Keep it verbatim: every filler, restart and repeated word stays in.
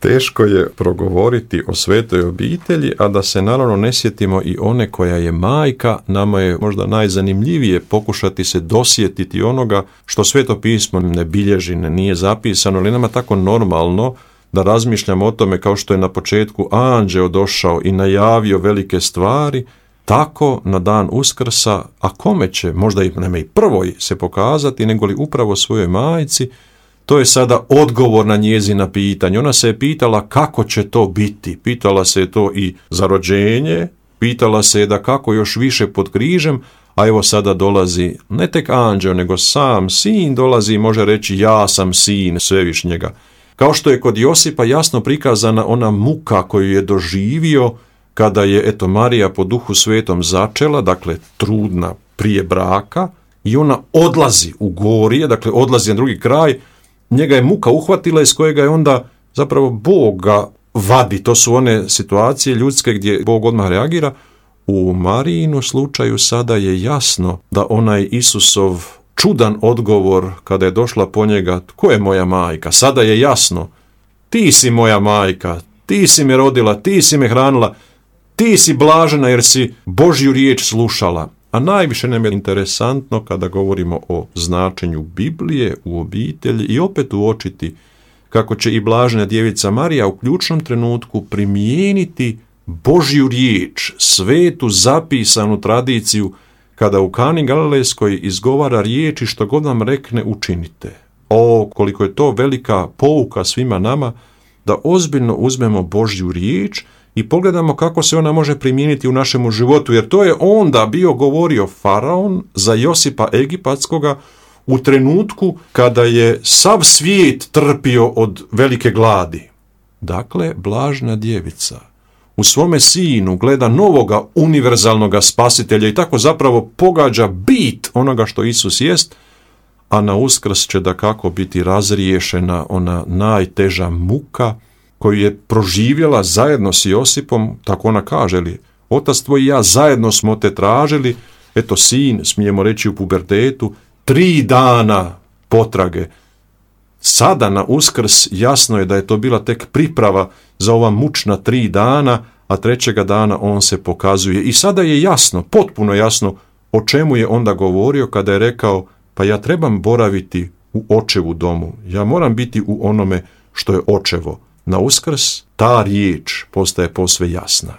Teško je progovoriti o svetoj obitelji, a da se naravno ne sjetimo i one koja je majka. Nama je možda najzanimljivije pokušati se dosjetiti onoga što Sveto pismo ne bilježi, ne nije zapisano, ali nama tako normalno da razmišljamo o tome kao što je na početku anđeo došao i najavio velike stvari, tako na dan Uskrsa, a kome će, možda i nema i prvoj se pokazati, nego li upravo svojoj majci. To je sada odgovor na njezina pitanja. Ona se je pitala kako će to biti. Pitala se je to i za rođenje, pitala se je da kako još više pod križem, a evo sada dolazi ne tek anđeo, nego sam sin dolazi i može reći ja sam sin Svevišnjega. Kao što je kod Josipa jasno prikazana ona muka koju je doživio kada je, eto, Marija po Duhu Svetom začela, dakle trudna prije braka, i ona odlazi u gorije, dakle odlazi na drugi kraj. Njega je muka uhvatila iz kojega je onda zapravo Bog ga vadi. To su one situacije ljudske gdje Bog odmah reagira. U Marijinu slučaju sada je jasno da onaj Isusov čudan odgovor kada je došla po njega, tko je moja majka? Sada je jasno, ti si moja majka, ti si me rodila, ti si me hranila, ti si blažena jer si Božju riječ slušala. A najviše nam je interesantno kada govorimo o značenju Biblije u obitelji i opet uočiti kako će i blažena djevica Marija u ključnom trenutku primijeniti Božju riječ, svetu zapisanu tradiciju, kada u Kani Galilejskoj izgovara riječi što god vam rekne učinite. O, koliko je to velika pouka svima nama da ozbiljno uzmemo Božju riječ i pogledamo kako se ona može primijeniti u našemu životu, jer to je onda bio govorio faraon za Josipa Egipatskoga u trenutku kada je sav svijet trpio od velike gladi. Dakle, blažna djevica u svome sinu gleda novoga univerzalnoga spasitelja i tako zapravo pogađa bit onoga što Isus jest, a na Uskrs će dakako biti razriješena ona najteža muka koju je proživjela zajedno s Josipom, tako ona kaže, li, otac tvoj i ja zajedno smo te tražili, eto sin, smijemo reći u pubertetu, tri dana potrage. Sada na Uskrs jasno je da je to bila tek priprava za ova mučna tri dana, a trećega dana on se pokazuje. I sada je jasno, potpuno jasno, o čemu je onda govorio kada je rekao, pa ja trebam boraviti u očevu domu, ja moram biti u onome što je očevo. Na Uskrs ta riječ postaje posve jasna.